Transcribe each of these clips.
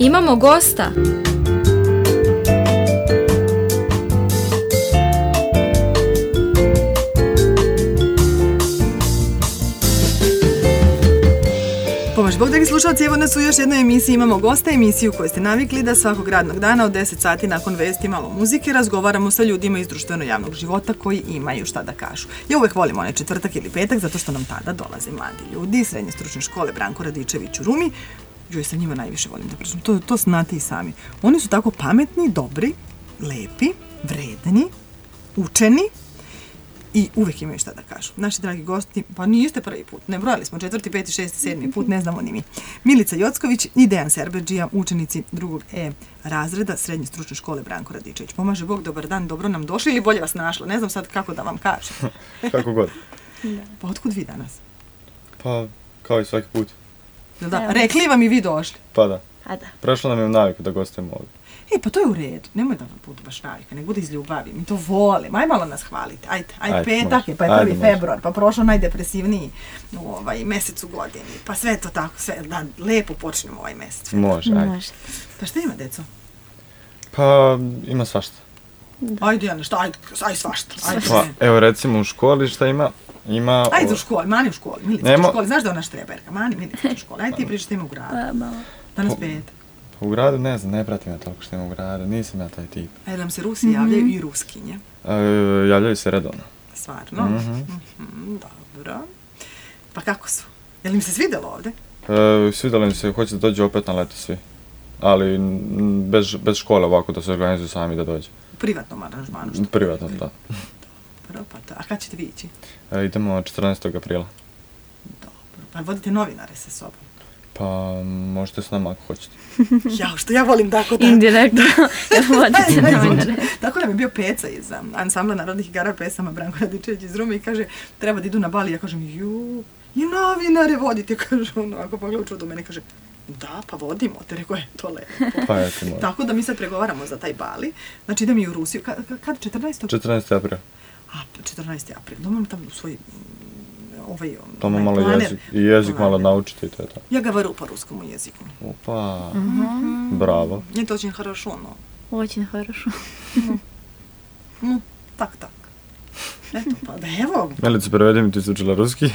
Imamo gosta. Pomož Bog, dragi slušalci, evo nas u još jednoj emisiji. Imamo gosta, emisiju koju ste navikli da svakog radnog dana od 10 sati nakon vesti malo muzike razgovaramo sa ljudima iz društveno-javnog života koji imaju šta da kažu. Ja uvek volim onaj četvrtak ili petak zato što nam tada dolaze mladi ljudi iz srednje stručne škole Branko Radičević u Rumi. Ja sa njima najviše volim da pričam. To znate i sami. Oni su tako pametni, dobri, lepi, vredni, učeni i uvek imaju šta da kažu. Naši dragi gosti, pa niste prvi put, ne brojali smo 4., 5., 6., 7. put, ne znamo ni mi. Milica Jocković i Dejan Serberdžija, učenici 2. E razreda srednje stručne škole Branko Radičević. Pomaže Bog, dobar dan, dobro nam došli ili bolje vas našlo. Ne znam sad kako da vam kažem. Kako god. Pa otkud vi danas? Pa, kao i svaki put. Da, rekli vam i vi došli? Pa da. A da. Prešlo nam je u naviku da gostujemo ovdje. Pa to je u redu. Nemoj da vam budu baš navika, nek bude iz ljubavi. Mi to volimo. Aj malo nas hvalite. Ajde, petak je, pa je 1. februar, pa prošlo najdepresivniji mesec u godini. Pa sve to tako, sve, da lepo počnemo ovaj mesec. Može, ajde. Pa šta ima, deco? Pa, ima svašta. Ajde, Jana, šta? Ajde svašta. Pa, evo recimo u školi šta ima? Ajde u školi, Mani u školi. Milica u školi, znaš da je ona štreberka? Mani, Milica u školi. Ajde ti pričaš šta ima u gradu. Danas petak. U gradu ne znam, ne pratim ja toliko što ima u gradu, nisam ja taj tip. A nam se Rusi javljaju i Ruskinje? Javljaju se redovno. Stvarno? Dobro. Pa kako su? Je li im se svidjelo ovdje? Svidjelo im se, hoće da dođu opet na leto svi. Ali bez škole ovako da se organizuju sami da dođu. U privatnom aranžmanu? Privatno, da. Dobro, pa to. A kad ćete vi ići? Idemo 14. aprila. Dobro, pa vodite novinare sa sobom? Pa, možete s nama ako hoćete. Što ja volim tako da... Indirektno, vodite novinare. Tako nam je bio Peca iz ansambla narodnih igara pesama Branko Radičević iz Rume i kaže, treba da idu na bal i ja kažem, i novinare vodite, kaže ono, ako pogleda u čudu mene, kaže, da, pa vodimo, te rekao je, to lepo. Pa eto, može. Tako da mi sad pregovaramo za taj bali, znači idem i u Rusiju, kad 14. 14. april. 14. april, domam tamo u svoj... Tamo malo jezik malo naučiti i to je to. Ja говорю по русскому языку. Opa, bravo. Это очень хорошо, но... Очень хорошо. Ну, так. Eto, pa da evo. Milica, prevedi mi, ti si učila ruski.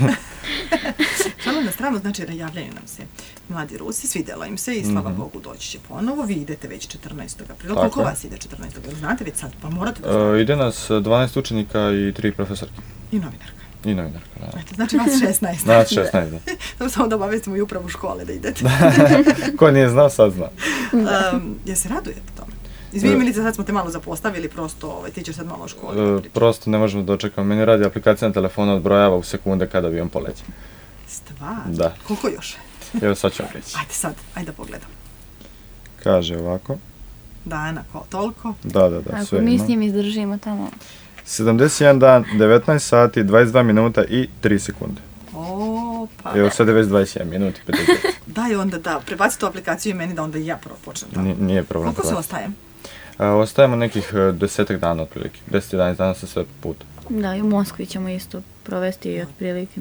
Šalno na stranu, znači javljaju nam se mladi Rusi, svidjelo im se i slava Bogu doći će ponovo. Vi idete već 14. aprila. Koliko vas ide 14. aprila? Znate već sad, pa morate da znate. Ide nas 12 učenika i 3 profesorke. I novinarka. I novinarka, da. Eto, znači vas 16. Nas 16, da. Samo da obavestimo i upravu škole da idete. Ko nije znao, sad zna. Ja se radujete tome? Izvini, Milica, sad smo te malo zapostavili, prosto ti ćeš sad malo u školi. Prosto ne možemo dočekati. Meni radi aplikacija na telefonu, odbrojava u sekunde kada avion poleće. Stvarno? Da. Koliko još? Evo sad ću vam reći. Ajde da pogledam. Kaže ovako. Dana, toliko? Da, sve ima. Ako mi s njim izdržimo tamo. 71 dan, 19 sati, 22 minuta i 3 sekunde. Pa... Evo sad je već 27 minuti, 50. Daj onda da, prebaci tu aplikaciju i meni da onda i ja prvo počnem tamo. Nije problem. Koliko se ostajem? Ostajemo nekih 10 dana otprilike, 10-11 dana sa sve put. Da, i u Moskvi ćemo isto provesti otprilike.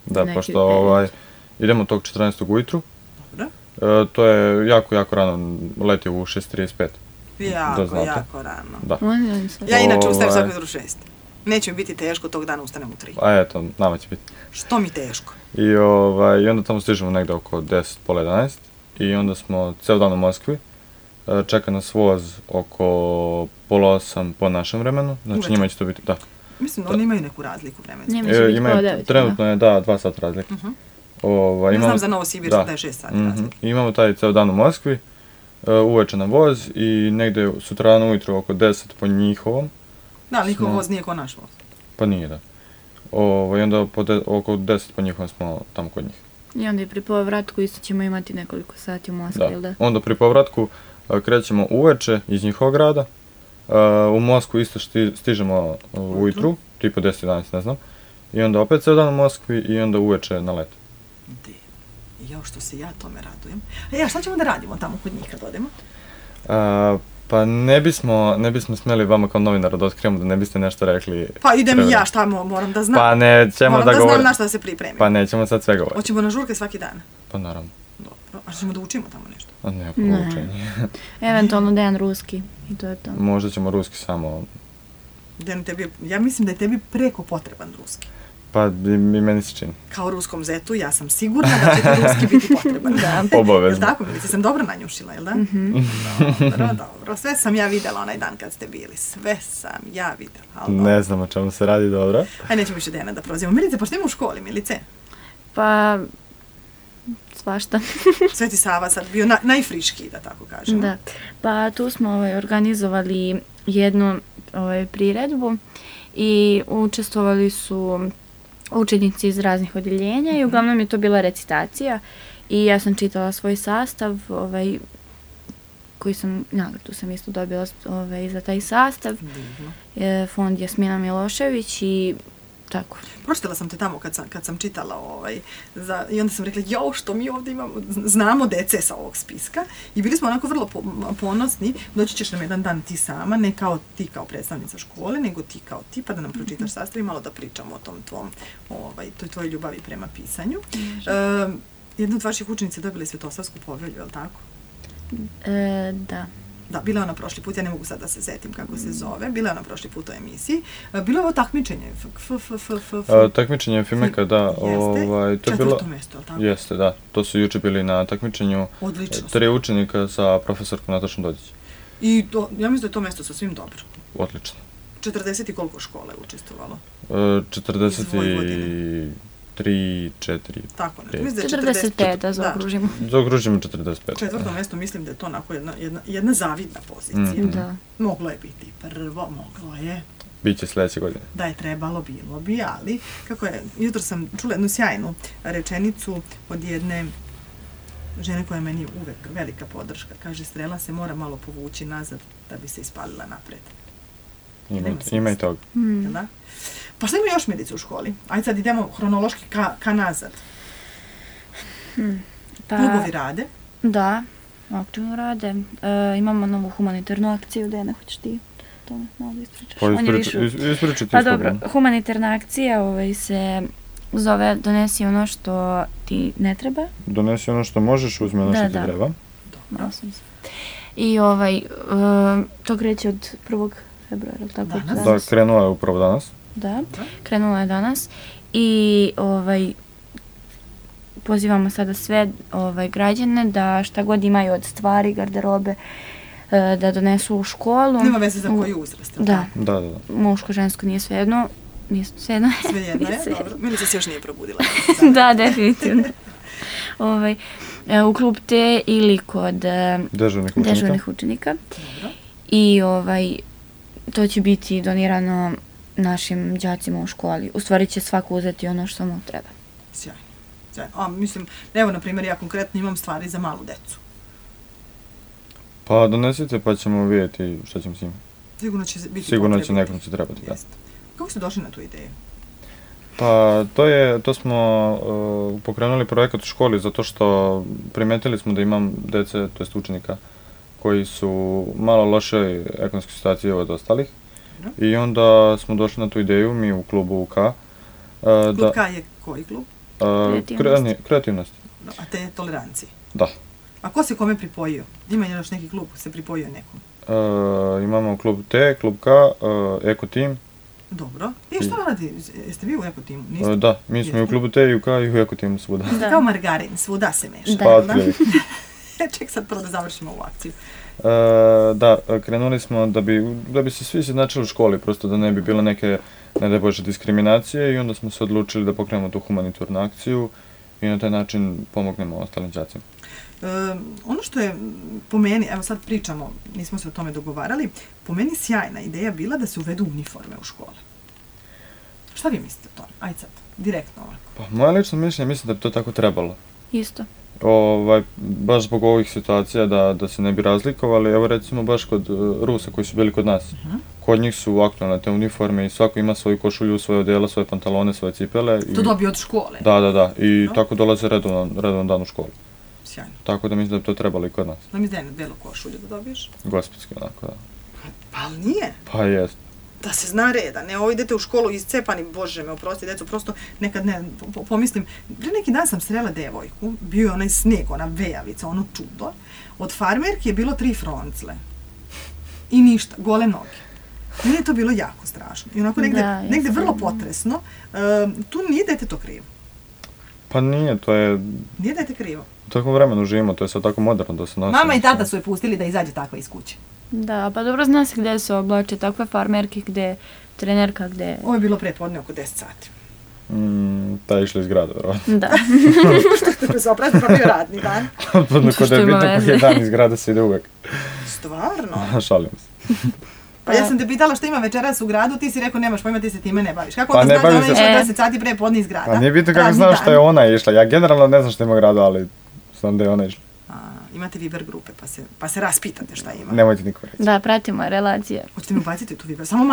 Da, pošto idemo tog 14. ujutru. Dobro. To je jako rano, leti u 6:35. Jako rano. Da. Ja inače ustajem svako jutro 6. Neće mi biti teško, tog dana ustanem u 3. A eto, nama će biti. Što mi teško? I onda tamo stižemo negdje oko 10, pola 11. I onda smo ceo dan u Moskvi. Čeka nas voz oko pola 8 po našem vremenu. Znači njima će to biti, da. Mislim, oni imaju neku razliku vremensku. Trenutno je, 2 sata razlike. Ne znam za Novosibir da je 6 sati razlike. Imamo taj ceo dan u Moskvi. Uveče na voz i negdje sutrano ujutro oko 10 po njihovom. Da, njihov voz nije ko naš voz. Pa nije, da. I onda oko 10 po njihovom smo tamo kod njih. I onda i pri povratku isto ćemo imati nekoliko sati u Moskvi, ili da? Onda pri povratku krećemo uveče iz njihovog grada. U Moskvu isto stižemo ujutru, tipa 10-11, ne znam. I onda opet ceo dan u Moskvi i onda uveče na let. Što se ja tome radujem. A šta ćemo da radimo tamo kod njih kad odemo? Pa ne bismo smjeli vama kao novinaru da otkrijemo da ne biste nešto rekli. Pa idem i ja, šta moram da znam. Pa nećemo moram da znam na šta da se pripremim. Pa nećemo sad sve govoriti. Hoćemo na žurke svaki dan? Pa naravno. Dobro. A ćemo da učimo tamo nešto? A ne, poučenje. Eventualno Dejan ruski i to je to. Možda ćemo ruski samo. Ja mislim da je tebi preko potreban ruski. Pa i meni se čini. Kao ruskom zetu, ja sam sigurna da će ti ruski biti potreban. Obavezno. Jel' tako, Milice? Sam dobro nanjušila, jel' da? Dobro. Sve sam ja videla onaj dan kad ste bili. Sve sam ja videla. Ne znam o čemu se radi, dobro. Aj, nećemo više Dejana da prozivamo. Milice, pa što ima u školi, Milice? Pa, svašta. Sveti Sava sad bio najfriškiji, da tako kažemo. Da. Pa tu smo organizovali jednu priredbu i učestvovali su učenici iz raznih odjeljenja i uglavnom je to bila recitacija i ja sam čitala svoj sastav koji sam, nagradu sam isto dobila za taj sastav. Fond Jasmina Milošević i tako. Pročitala sam te tamo kad sam čitala i onda sam rekla, što mi ovdje znamo dece sa ovog spiska i bili smo onako vrlo ponosni, doći ćeš nam jedan dan ti sama, ne kao ti kao predstavnica škole, nego ti kao ti, pa da nam pročitaš sastav i malo da pričamo o tom toj tvojoj ljubavi prema pisanju. Jedna od vaših učenica dobila je Svetosavsku povelju, je li tako? Da. Da, bila je ona prošli put, ja ne mogu sad da se setim kako se zove, bila je ona prošli put u emisiji. Bilo je ovo takmičenje, takmičenje Fimeka, da. Jeste, četvrto mjesto, ali tako? Jeste, da. To su juče bili na takmičenju. Odlično. 3 učenika sa profesorkom Natašom Dođić. I ja mislim da je to mjesto sasvim dobro. Odlično. 40 i koliko škole je učestvovalo? 43, 4. Tako ne. 45, da zaokružimo. Zaokružimo 45. Četvrto mjesto mislim da je to onako jedna zavidna pozicija. Da. Moglo je biti prvo, moglo je. Biće sljedeće godine. Da je trebalo, bilo bi, ali kako je, jutro sam čula jednu sjajnu rečenicu od jedne žene koja je meni uvek velika podrška. Kaže, strela se mora malo povući nazad da bi se ispalila napred. Ima i toga. Da? Pa šta ima još, Milice, u školi? Ajde sad idemo hronološki ka nazad. Klubovi rade? Da, aktivno rade. Imamo novu humanitarnu akciju, Dejana, hoćeš ti to malo ispričaš? Pa ispričati. Pa dobro, humanitarna akcija se zove Donesi ono što ti ne treba. Donesi ono što možeš, uzmi ono što ti treba. Dobro. I to kreće od 1. februara, tako? Da, krenula je upravo danas. Da, krenula je danas i pozivamo sada sve građane da šta god imaju od stvari, garderobe, da donesu u školu. Nema veze za koji uzrast. Da. Da. Muško, žensko nije svejedno. Svejedno je, dobro. Milica se još nije probudila. Da, definitivno. U klub T ili kod dežurnih učenika. Dobro. I to će biti donirano našim đacima u školi. U stvari će svako uzeti ono što mu treba. Sjajno. Mislim, evo, na primjer, ja konkretno imam stvari za malu decu. Pa donesite pa ćemo vidjeti šta ćemo s njima. Sigurno će nekom će trebati, da. Kako ste došli na tu ideju? Pa to smo pokrenuli projekat u školi zato što primetili smo da imam dece, to jest učenika, koji su malo lošoj ekonomskoj situaciji od ostalih. I onda smo došli na tu ideju, mi u klubu K. Klub K je koji klub? Kreativnost. A te tolerancije? Da. A ko se kome pripojio? Ima još neki klub se pripojio nekom? Imamo klub T, klub K, Eko Team. Dobro. I što radi? Jeste vi u Eko Teamu? Da, mi smo i u klubu T, i u K, i u Eko Teamu svuda. Ste kao margarin, svuda se meša. Da. Ček sad prvo da završimo ovu akciju. Da, krenuli smo da bi se svi izjednačili u školi, prosto da ne bi bilo neke, ne daj Bože, diskriminacije i onda smo se odlučili da pokrenemo tu humanitarnu akciju i na taj način pomognemo ostalim đacima. Ono što je po meni, evo sad pričamo, nismo se o tome dogovarali, po meni sjajna ideja bila da se uvedu uniforme u škole. Šta vi mislite o tome? Ajde sad, direktno ovako. Pa moje lično mišljenje mislim da bi to tako trebalo. Isto. Baš zbog ovih situacija da se ne bi razlikovali, evo recimo baš kod Rusa koji su bili kod nas. Kod njih su aktualne te uniforme i svako ima svoju košulju, svoje odjela, svoje pantalone, svoje cipele. To dobije od škole? Da, i tako dolaze redovan dan u školu. Sjajno. Tako da mislim da bi to trebalo i kod nas. Da mi zdaj na belu košulju da dobiješ? Gospitski, onako, da. Pa ali nije? Pa jest. da se zna reda, ne ovo idete u školu iscepani, bože me oprosti, deco, prosto nekad ne, pomislim, pre neki dan sam srela devojku, bio je onaj sneg, ona vejavica, ono čudo, od farmerki je bilo 3 froncle i ništa, gole noge. Meni je to bilo jako strašno i onako negde vrlo potresno, tu nije dete to krivo. Pa nije, to je... Nije dete krivo. U takvom vremenu živimo, to je sad tako moderno da se nosi. Mama i tata su je pustili da izađe takva iz kuće. Da, pa dobro zna se gdje se oblače takve farmerke, gdje trenerka, gdje... Ovo je bilo prepodne oko 10 sati. Ta je išla iz grada, verovatno. Da. Što se oprazni, pa bio radni dan. Podno kod je bitno koji je dan iz grada se ide uvek. Stvarno? Šalim se. Pa ja sam te pitala što ima večeras u gradu, ti si rekao nemaš pojma, ti se time ne baviš. Kako Pa onda ne znaš da ona bavim se- išla 10 sati pre podne iz grada? Pa nije bitno kako Radni znam dan. što je ona išla. Ja generalno ne znam što ima u gradu, ali znam da je ona išla. Imate Viber grupe, pa se raspitate šta ima. Nemojte niko reći. Da, pratimo relacije. Hoćete mi ubaciti u tu Viber? Samo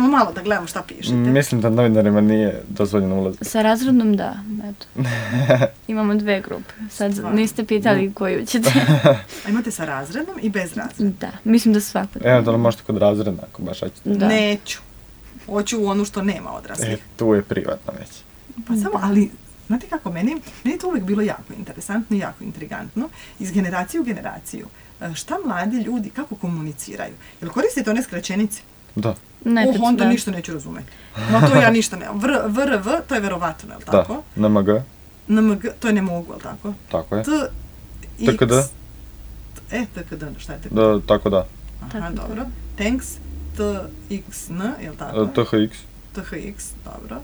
malo da gledamo šta pišete. Mislim da novinarima nije dozvoljeno ulaz. Sa razrednom da, eto. Imamo 2 grupe. Sad Stvarno? niste pitali koju ćete. A imate sa razrednom i bez razrednom? Da, mislim da svako. Eventualno možete kod razreda, ako baš hoćete. Da. Neću. Hoću u onu što nema odraslih. Tu je privatno već. Pa samo, ali, znate kako, meni je to uvijek bilo jako interesantno i jako intrigantno, iz generacije u generaciju. Šta mladi ljudi, kako komuniciraju? Jel koristite one skraćenice? Da. Nekad, Onda da. ništa neću razumeti. No to ja ništa ne. VRV, to je verovatno, je li tako? Da. NMG. NMG, to je ne mogu, je li tako? Tako je. TKD. TKD. TKD, šta je TKD? Da, tako da. Aha, Tako da. dobro. Thanks, TXN, je li tako? THX. THX, dobro.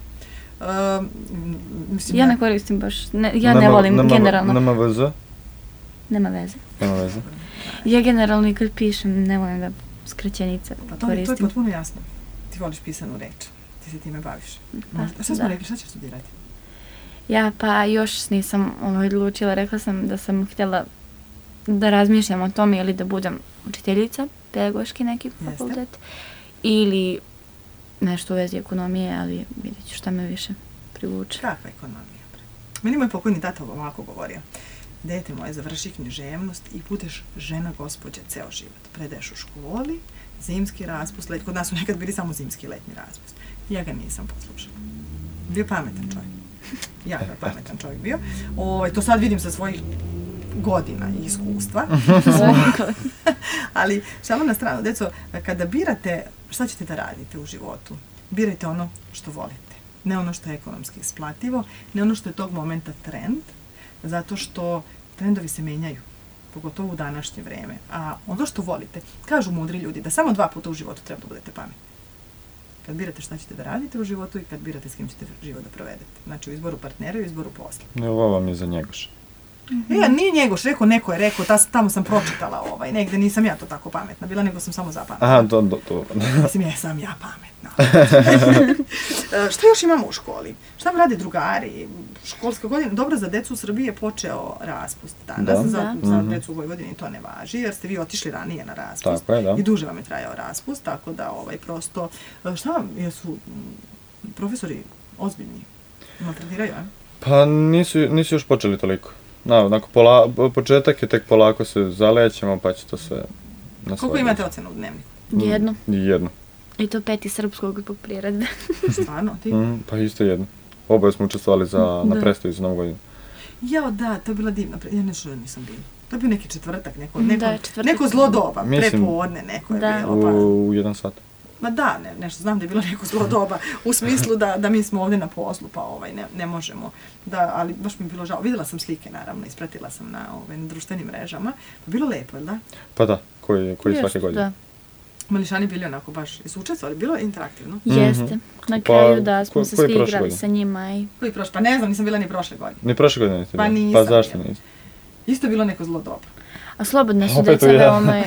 Mislim, Ja ne koristim baš, ja ne volim generalno. NMVZ. Nema veze. Nema veze. Ja generalno i kad pišem ne volim da skraćenice Pa to je koristim. potpuno jasno. Ti voliš pisanu reč. Ti se time baviš. Šta smo da. rekli, šta ćeš studirati? Ja pa još nisam odlučila, rekla sam da sam htjela da razmišljam o tome ili da budem učiteljica, pedagoški neki fakultet, ili nešto u vezi ekonomije, ali vidjet ću šta me više privuče. Kakva ekonomija? Meni moj pokojni tata ovako govorio. Dete moje, završi književnost i budeš žena gospođe ceo život. Predaješ u školi, zimski raspust, kod nas su nekad bili samo zimski letnji raspust. Ja ga nisam poslušala. Bio pametan čovjek. Jako je pametan čovjek bio. To sad vidim sa svojih godina i iskustva. Ali šalom na stranu, deco, kada birate šta ćete da radite u životu, birajte ono što volite. Ne ono što je ekonomski isplativo, ne ono što je tog momenta trend, zato što trendovi se menjaju, pogotovo u današnje vreme. A ono što volite, kažu mudri ljudi, da samo 2 puta u životu treba da budete pametni. Kad birate šta ćete da radite u životu i kad birate s kim ćete život da provedete. Znači u izboru partnera i u izboru posla. Ovo vam je za Njegoš. Nije Njegoš rekao, neko je rekao, tamo sam pročitala negde, nisam ja to tako pametna bila, nego sam samo zapametna. Aha, to. Mislim, jesam ja pametna. Šta još imamo u školi? Šta vam rade drugari? Školska godina, dobro, za decu u Srbiji je počeo raspust danas, za decu u Vojvodini to ne važi, jer ste vi otišli ranije na raspust. Tako je, da. I duže vam je trajao raspust, tako da prosto, šta vam, jesu profesori ozbiljni? Maltretiraju, a? Pa nisu još počeli toliko. Početak je tek polako se zalećemo, pa će to sve na svoje. Koliko imate ocena u dnevniku? Jedno. I to 5 srpskog zbog priredbe. Stvarno, ti? Pa isto jedno. Oboje smo učestvovali na predstavi za Novu godinu. Jao, da, to je bila divna, ja nešto nisam bila. To je bio neki četvrtak, četvrtak. neko zlo doba, Mislim, prepodne neko je bilo. U 1 sat. Ma da, nešto znam da je bilo neko zlo doba, u smislu da mi smo ovdje na poslu, pa ne možemo. Da, ali baš mi je bilo žao. Vidjela sam slike, naravno, ispratila sam na društvenim mrežama. Pa bilo lepo, je li da? Pa da, koji svake godine. Da. Mališani bili onako baš učestvovali, bilo je interaktivno. Jeste. Na kraju da smo se svi igrali sa njima. Koji prošle? Pa ne znam, nisam bila ni prošle godine. Ni prošle godine niste Pa bili? nisam. Pa zašto niste? Isto je bilo neko zlo doba. A slobodne su deca veoma,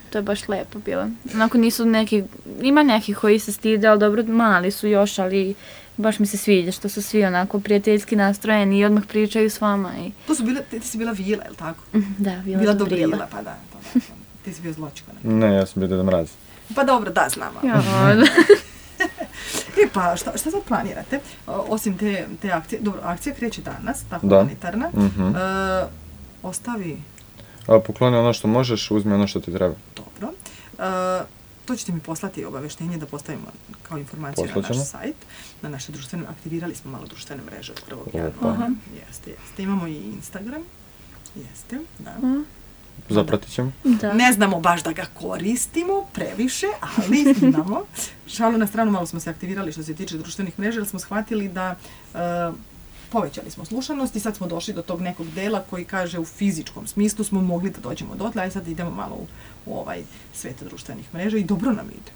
to je baš lepo bilo. Onako nisu neki, ima nekih koji se stide, ali dobro, mali su još, ali baš mi se sviđa što su svi onako prijateljski nastrojeni i odmah pričaju s vama. To su bile, ti si bila Vila, je li tako? Da, Vila Dobrila. Pa da. Ti si bio Zločko. Ne, ja sam bio Deda Mraz. Pa dobro, da, znamo. Pa šta sad planirate? Osim te akcije, dobro, akcija kreće danas, ta humanitarna. Ostavi... Pokloni ono što možeš, uzmi ono što ti treba. Dobro. to ćete mi poslati obaveštenje da postavimo kao informaciju na naš sajt, na naše društvene, aktivirali smo malo društvene mreže od 1. januara. Jeste. Imamo i Instagram. Jeste, da. Zapratit ćemo. Da. Ne znamo baš da ga koristimo previše, ali imamo. Šalu na stranu, malo smo se aktivirali što se tiče društvenih mreža, jer smo shvatili da povećali smo slušanost i sad smo došli do tog nekog dela koji kaže u fizičkom smislu smo mogli da dođemo dotle, a sad idemo malo u ovaj svet društvenih mreža i dobro nam ide.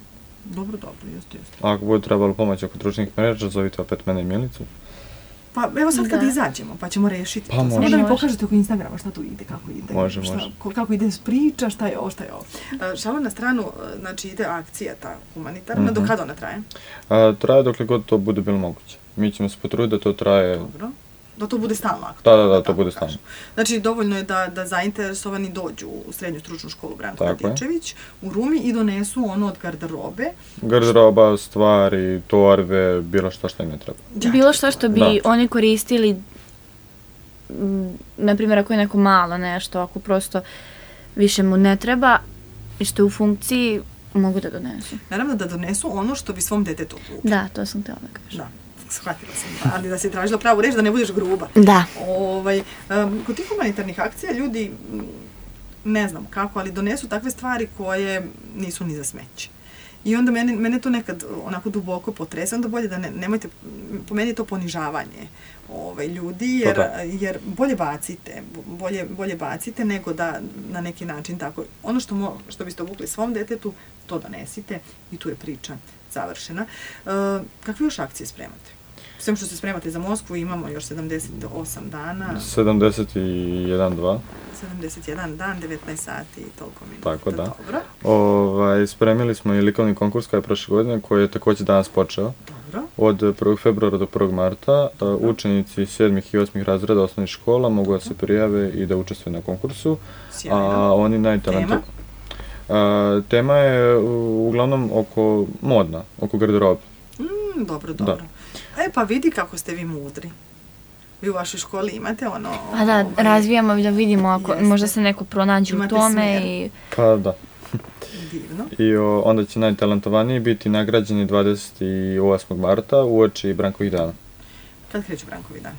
Dobro, jeste. Ako bude trebalo pomoći oko društvenih mreža, zovite opet mene i Milicu. Pa evo sad kad izađemo, pa ćemo rešiti to. Samo da mi pokažete oko Instagrama šta tu ide, kako ide. Može. Kako ide priča, šta je ovo. Šalu na stranu, znači ide akcija ta humanitarna, do kada ona traje? Traje dokle god to bude bilo moguće. Mi ćemo se potruditi da to traje... Dobro. Da to bude stalno aktualno. Da, to bude stalno. Znači, dovoljno je da zainteresovani dođu u srednju stručnu školu Branko Radičević u Rumi i donesu ono od garderobe. Garderoba, stvari, torbe, bilo što im ne treba. Bilo što bi oni koristili, na primjer ako je neko malo nešto, ako prosto više mu ne treba i što je u funkciji, mogu da donesu. Naravno da donesu ono što bi svom detetu kupili. Da, to sam htjela da kažem. Da. Shvatila sam, ali da si tražila pravu reč, da ne budeš gruba. Da. Kod tih humanitarnih akcija ljudi, ne znam kako, ali donesu takve stvari koje nisu ni za smeće. I onda mene to nekad onako duboko potrese, onda bolje da nemojte, po meni je to ponižavanje ljudi, jer bolje bacite nego da na neki način tako. Ono što biste obukli svom detetu, to donesite i tu je priča završena. Kakve još akcije spremate? Sve što se spremate za Moskvu, imamo još 78 dana. 71 dan, 19 sati i toliko minuta. Tako da. Dobro. Spremili smo i likovni konkurs kao je prošle godine, koji je također danas počeo. Dobro. Od 1. februara do 1. marta učenici 7. i 8. razreda osnovnih škola mogu da se prijave i da učestvuju na konkursu. Sjajno. Oni najtalentovaniji. Tema je uglavnom modna, oko garderobe. Dobro. Pa vidi kako ste vi mudri. Vi u vašoj školi imate ono... Pa da, razvijamo da vidimo ako možda se neko pronađe u tome i... Pa da. Divno. I onda će najtalentovaniji biti nagrađeni 28. marta uoči Brankovih dana. Kad kreću Brankovi dani?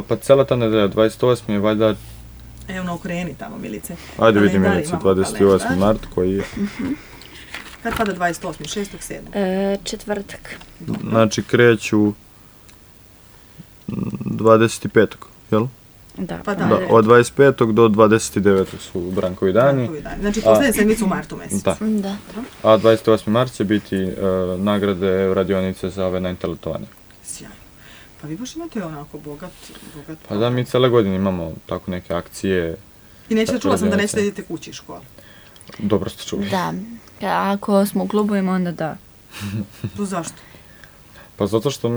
Pa cela ta nedelja, 28. je valjda... Evo okreni tamo, Milice. Ajde vidi Milice, 28. mart koji je... Kad pada 28. 6. 7. Četvrtak. Znači kreću 25. jel? Da. Pa da. Od 25. do 29. su Brankovi dani. Znači poslednje sedmice u martu mjesecu. Da. A 28. mart će biti nagrade radionice za ove najtalentovanje. Sjajno. Pa vi baš imate onako bogat... Pa da, mi cele godine imamo tako neke akcije. I čula sam da nećete idete kući iz škole. Dobro ste čuli. Da. Ako smo u klubovima, onda da. To zašto? Pa zato što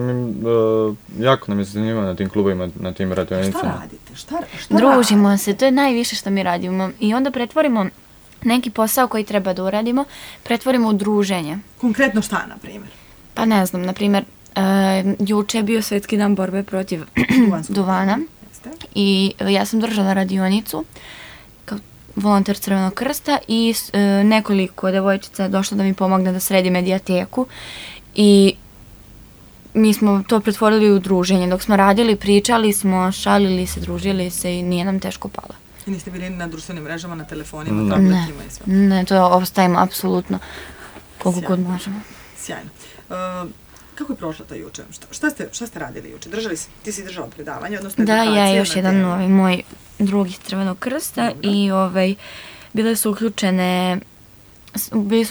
jako nam je zanimljivo na tim klubovima, na tim radionicama. Šta radite? Družimo se, to je najviše što mi radimo. I onda pretvorimo neki posao koji treba da uradimo, pretvorimo u druženje. Konkretno šta, na primjer? Pa ne znam, na primjer, juče je bio Svjetski dan borbe protiv duvana i ja sam držala radionicu kao volonter Crvenog krsta i nekoliko devojčica je došlo da mi pomogne da sredi medijateku i mi smo to pretvorili u druženje. Dok smo radili, pričali smo, šalili se, družili se i nije nam teško palo. I niste bili na društvenim mrežama, na telefonima, tabletima i sve? Ne, to ostavimo apsolutno koliko god možemo. Sjajno. Kako je prošla ta juče? Šta ste radili juče? Ti si držala predavanje, odnosno da, edukacije? Da, ja još jedan novi moj drugi Crvenog krsta. Dobro. I bili su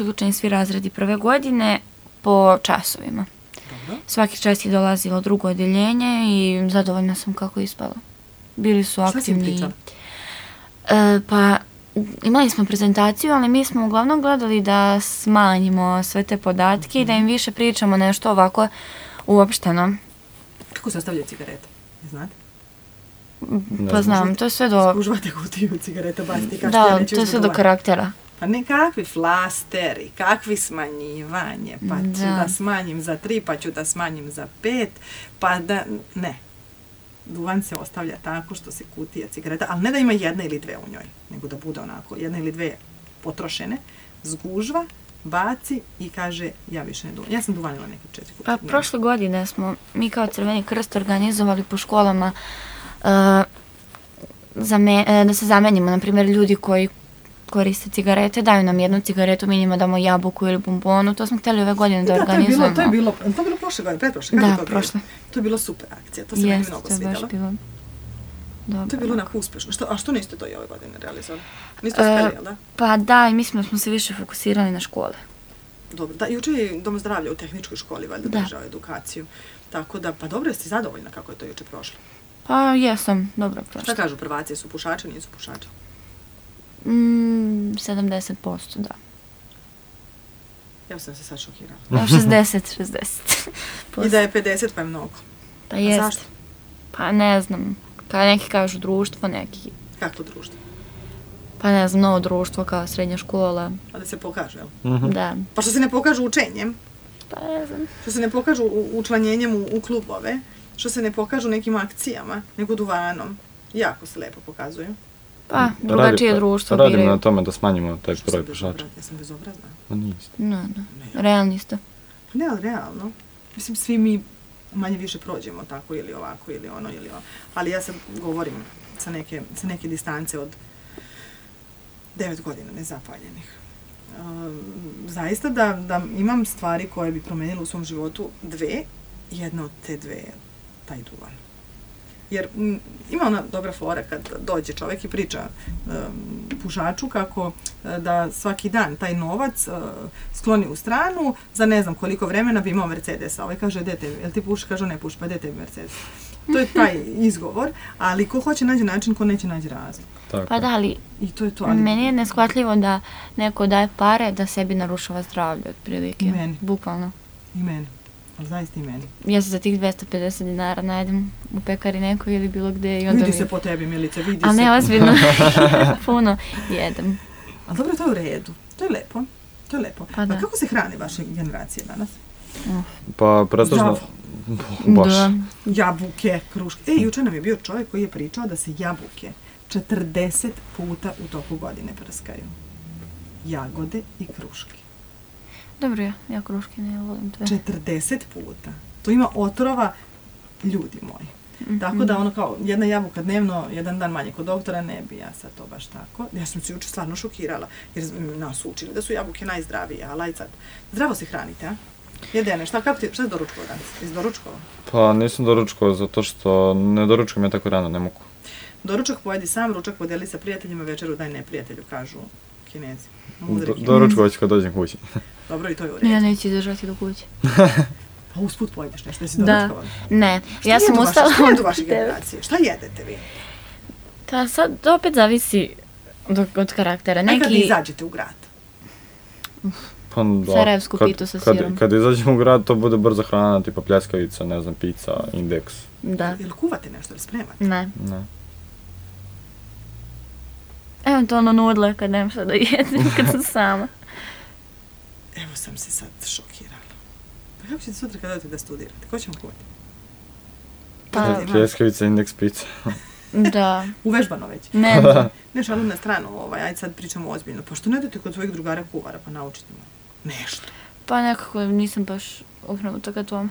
uključeni svi razredi prve godine po časovima. Dobro. Svaki čas je dolazilo drugo odeljenje i zadovoljna sam kako je ispalo. Bili su aktivni. Šta si pričala? Pa imali smo prezentaciju, ali mi smo uglavnom gledali da smanjimo sve te podatke i da im više pričamo nešto ovako uopšteno. Kako se ostavljaju cigarete? Znate? Pa znam, to je sve do... Skužvate kutiju cigareta, bacite kašte. Da, to je sve do karaktera. Pa ne kakvi flasteri, kakvi smanjivanje, pa ću da smanjim za 3, pa ću da smanjim za 5, pa da... Ne. Duvan se ostavlja tako što se kutija cigareta, ali ne da ima jedna ili dve u njoj, nego da bude onako jedna ili dve potrošene, zgužva baci i kaže ja više ne duvanim. Ja sam duvanila neke 4 puta. Pa prošle godine smo mi kao Crveni krst organizovali po školama da se zamenimo. Na primjer, ljudi koji koriste cigarete, daju nam jednu cigaretu, mi njima damo jabuku ili bombonu. To smo htjeli ove godine da organizujemo. To je bilo prošle godine, pretprošle. Da, prošle. To je bilo super akcija, to se meni mnogo svidjelo. Baš bilo. Dobro. To je bilo onako uspješno. A što niste to i ove godine realizovali? Niste uspjeli, jel da? Pa da, i mislim da smo se više fokusirali na škole. Dobro, da, jučer je Dom zdravlja u tehničkoj školi valjda držao edukaciju. Tako da, pa dobro, jeste zadovoljna kako je to jučer prošlo? Pa jesam, dobro prošlo. Šta kažu prvaci, su pušači, nisu pušači? 70%, da. Ja sam se sad šokirala. 60. I da je 50 pa je mnogo. Pa jest. Zašto? Pa ne znam. Neki kažu društvo, neki... Kako društvo? Pa ne znam, novo društvo kao srednja škola. A da se pokaže, jel? Da. Pa što se ne pokažu učenjem? Pa ne znam. Što se ne pokažu učlanjenjem u klubove? Što se ne pokažu nekim akcijama, nego duvanom? Jako se lepo pokazuju. Pa, drugačije društvo biraju. Radimo na tome da smanjimo taj broj pušača. Ja sam bezobrazna. No niste. No. Realni ste. Ne, ali realno. Mislim, svi mi manje više prođemo tako ili ovako ili ono ili ono. Ali ja sad govorim sa neke distance od 9 godina nezapaljenih. Zaista da imam stvari koje bi promenile u svom životu dve, jedna od te dve je taj duvan. Jer ima ona dobra fora kad dođe čovjek i priča pušaču kako da svaki dan taj novac skloni u stranu, za ne znam koliko vremena bi imao Mercedesa. Ovaj kaže, dete, jel ti puši? Kaže, ne puši, pa dete Mercedes. To je taj izgovor, ali ko hoće nađe način, ko neće nađe razlog. Tako. Pa da, ali I to je to. meni je neshvatljivo da neko daje pare da sebi narušava zdravlje, otprilike. I meni. Bukvalno. I meni. Ali zaista i meni. Ja se za tih 250 dinara najdem u pekari nekoj ili bilo gde i onda Vidi se po tebi, Milice, vidi se. Ali ne, ozbiljno, puno jedem. Ali dobro, to je u redu. To je lepo. To je lepo. Pa da. A kako se hrane vaše generacije danas? Pa pretežno... Zdravo. Baš. Da. Jabuke, kruške. Jučer nam je bio čovjek koji je pričao da se jabuke 40 puta u toku godine prskaju. Jagode i kruške. Dobro, ja kruške ne volim to. 40 puta. To ima otrova, ljudi moji. Tako da ono kao jedna jabuka dnevno, jedan dan manje kod doktora, ne bi ja sad to baš tako. Ja sam se jučer stvarno šokirala, jer nas učili da su jabuke najzdravije, ali aj sad, zdravo se hranite, a? Jedene, šta si doručkovao danas? Jesi doručkovao? Pa nisam doručkovao zato što ne doručkujem ja tako rano, ne mogu. Doručak pojedi sam, ručak podeli sa prijateljima, večeru daj neprijatelju, kažu Kinezi. Doručkovat ću kad dođem kući. Dobro, i to je u redu. Ja neću izdržati do kuće. Pa usput pojedeš nešto, jesi doručkovala? Ne, ja sam ustala... Šta jedu vaše generacije? Šta jedete vi? Pa sad opet zavisi od karaktera. Neki... Kad izađete u grad? Pa da, Sarajevsku pitu sa sirom. Kad izađemo u grad, to bude brza hrana, tipa pljeskavica, ne znam, pizza, indeks. Da. Ili kuvate nešto, ili spremate? Ne. Eventualno nudle kad nemam šta da jedem, kad sam sama. Evo sam se sad šokirala. Pa kako ćete sutra kad odete da studirate? Ko će vam kuvati? Pa, pljeskavica, indeks, pizza. da. Uvežbano već? Ne. Ne, šalim na stranu, ajde sad pričamo ozbiljno. Pa što ne idete kod svojih drugara kuvara, pa naučite me nešto? Pa nekako nisam baš okrenuta ka tome.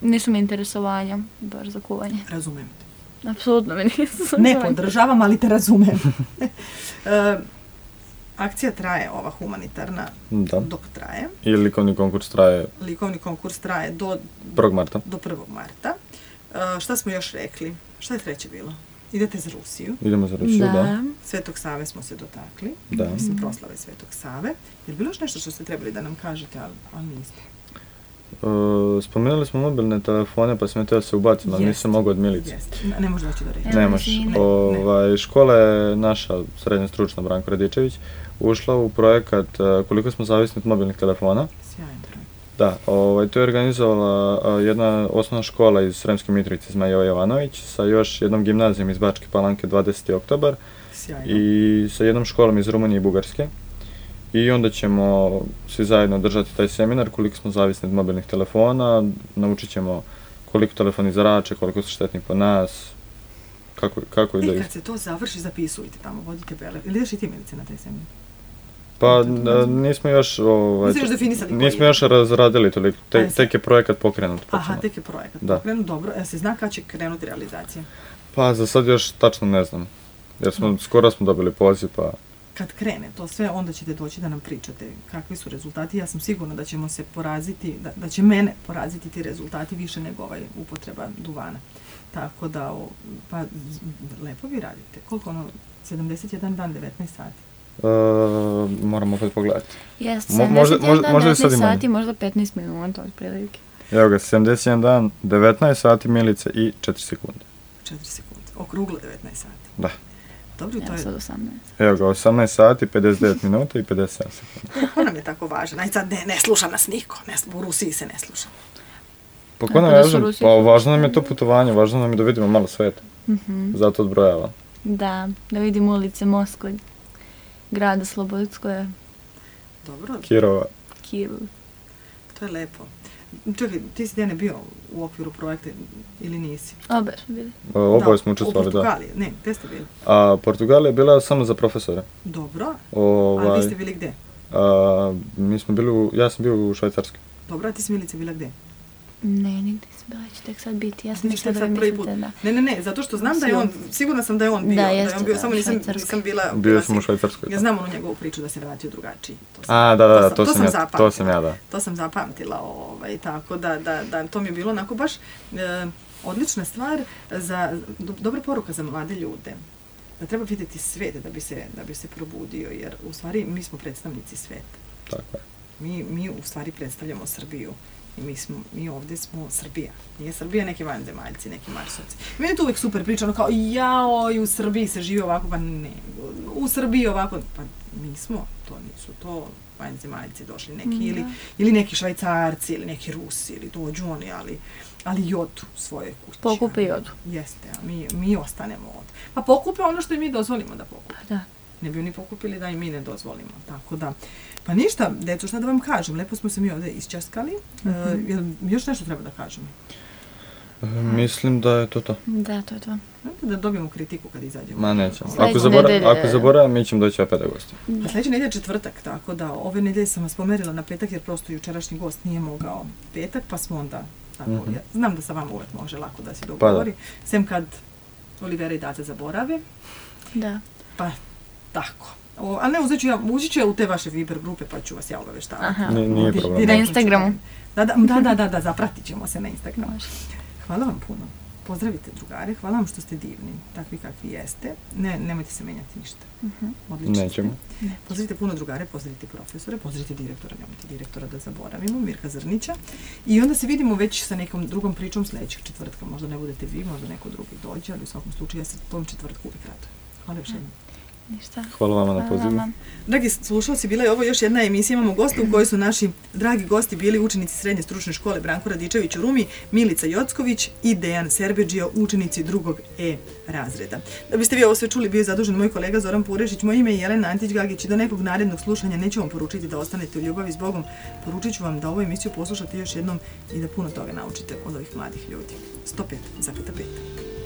Nisu mi interesovanja baš za kuvanje. Razumem te. Apsolutno me nisu. Ne podržavam, ali te razumem. Akcija traje, ova humanitarna, dok traje. I likovni konkurs traje... Likovni konkurs traje do 1. marta. Do 1. marta. Šta smo još rekli? Šta je treće bilo? Idete za Rusiju. Idemo za Rusiju, da. Svetog Save smo se dotakli. Da. Mislim, proslave Svetog Save. Je li bilo još nešto što ste trebali da nam kažete, ali niste? Spomenuli smo mobilne telefone, pa sam htio se ubaciti, ali nisam mogao od Milice. Ne može doći do reći. Ne može. Škola je naša srednja stručna Branko Radičević ušla u projekat Koliko smo zavisni od mobilnih telefona. Sjajan projekt. Da, to je organizovala jedna osnovna škola iz Sremske Mitrovice, Zmajeva Jovanović, sa još jednom gimnazijom iz Bačke Palanke 20. oktobar i sa jednom školom iz Rumunije i Bugarske. I onda ćemo svi zajedno držati taj seminar koliko smo zavisni od mobilnih telefona, naučit ćemo koliko telefoni zrače, koliko su štetni po nas, kako i da... Kad se to završi, zapisujte tamo, vodite bele. Ili ideš i ti, Milice, na taj seminar? Pa nismo još, Niste još definisali koji? nismo još razradili toliko, Ajde sad. tek je projekat pokrenut. Aha, počinje. tek je projekat Da. pokrenut, dobro. Se zna kad će krenuti realizacija? Pa za sad još tačno ne znam, jer skoro smo dobili poziv, pa... Kad krene to sve, onda ćete doći da nam pričate kakvi su rezultati. Ja sam sigurna da ćemo se poraziti, da će mene poraziti ti rezultati više nego upotreba duvana. Tako da, pa lepo vi radite. Koliko 71 dan, 19 sati? Moramo opet pogledati. Jeste, Možda 71 i sad 19 i sati, možda 15 minuta otprilike. Evo ga, 71 dan, 19 sati Milice i 4 sekunde. 4 sekunde. Okruglo 19 sati. Da. Dobro, to Evo je... sad 18. Evo ga, 18 sati, 59 minuta i 57 sekundi. Ko nam je tako važan? Aj sad ne sluša nas niko. U Rusiji se ne sluša. Pa Tako ko nam da su kažem, Rusi- pa važno nam je to putovanje, važno nam je da vidimo malo sveta. Zato odbrojavam. Da vidimo ulice Moskve, grada Slobodskoje, Dobro, Kirova. Kijev. to je lepo. Čekaj, ti si Dene bio u okviru projekta ili nisi? Obe su bili. Oboje smo učestvovali, u da. Portugaliji. Ne, gde ste bili? A Portugalija je bila samo za profesore. Dobro. A vi ste bili gde? Mi smo bili, ja sam bio u Švajcarskoj. Dobro, a ti si Milice bila gde? Ne, nigdje nisam bila, će tek sad biti. Ja sam Ti ćeš mislila tek da vi sad prvi put. mislite da. Ne, zato što znam da je on, sigurna sam da je on bio. Da, Da je jeste, on bio, da, samo nisam bila... Bio sam u Švajcarskoj. Ja znam onu njegovu priču da se vratio drugačiji. To sam ja, da. To sam zapamtila, tako da to mi je bilo onako baš odlična stvar, dobra poruka za mlade ljude. Da treba vidjeti svet da bi se probudio, jer u stvari mi smo predstavnici sveta. Tako je. Mi u stvari predstavljamo Srbiju. I mi ovdje smo Srbija. Nije Srbija neki vanzemaljci, neki Marsovci. Meni je to uvijek super priča, ono kao, i u Srbiji se živi ovako, pa ne, u Srbiji ovako, pa nismo, nisu to vanzemaljci došli neki, ili neki Švajcarci, ili neki Rusi, ili dođu oni, ali i odu svoje kuće. Pokupe i odu. Jeste, a mi ostanemo ovdje. Pa pokupe ono što i mi dozvolimo da pokupe. Pa da. Ne bi oni pokupili da i mi ne dozvolimo, tako da. Pa ništa, deco, šta da vam kažem, lepo smo se mi ovdje isčaskali. Još nešto treba da kažem? Mislim da je to to. Da, to je to. Da dobijemo kritiku kad izađemo. Ma nećemo. Sljedeće Ako zaboravim, mi ćemo doći opet da gostimo. Pa sljedeće nedelje je četvrtak, tako da ove nedelje sam vas pomerila na petak jer prosto jučerašnji gost nije mogao petak, pa smo onda, tako, ja znam da sa vama uvijek može lako da se dogovori, sem kad Olivera i Dace zaborave. Da. Pa, tako. Ali ne, ući ću ja u te vaše Viber grupe pa ću vas ja obaveštavati. Nije problem. Na Instagramu. Da, zapratit ćemo se na Instagramu. Hvala vam puno. Pozdravite drugare, hvala vam što ste divni, takvi kakvi jeste. Nemojte se menjati ništa. Odlično. Nećemo. Pozdravite puno drugare, pozdravite profesore, pozdravite direktora, nemojte direktora da zaboravimo, Mirka Zrnića. I onda se vidimo već sa nekom drugom pričom sljedećeg četvrtka. Možda ne budete vi, možda neko drugi dođe, ali u svakom slučaju ja se tom četvrtku uvijek radujem. Hvala još jednom. Ništa. Hvala vama na pozivu. Dragi slušalci, bila je ovo još jedna emisija. Imamo gosta u kojoj su naši dragi gosti bili učenici Srednje stručne škole Branko Radičević u Rumi, Milica Jocković i Dejan Serbeđio, učenici 2. E razreda. Da biste vi ovo sve čuli, bio je zadužen moj kolega Zoran Purešić, moje ime je Jelena Antić-Gagić i do nekog narednog slušanja neću vam poručiti da ostanete u ljubavi s Bogom. Poručit ću vam da ovu emisiju poslušate još jednom i da puno toga naučite od ovih mladih ljudi. 105,5.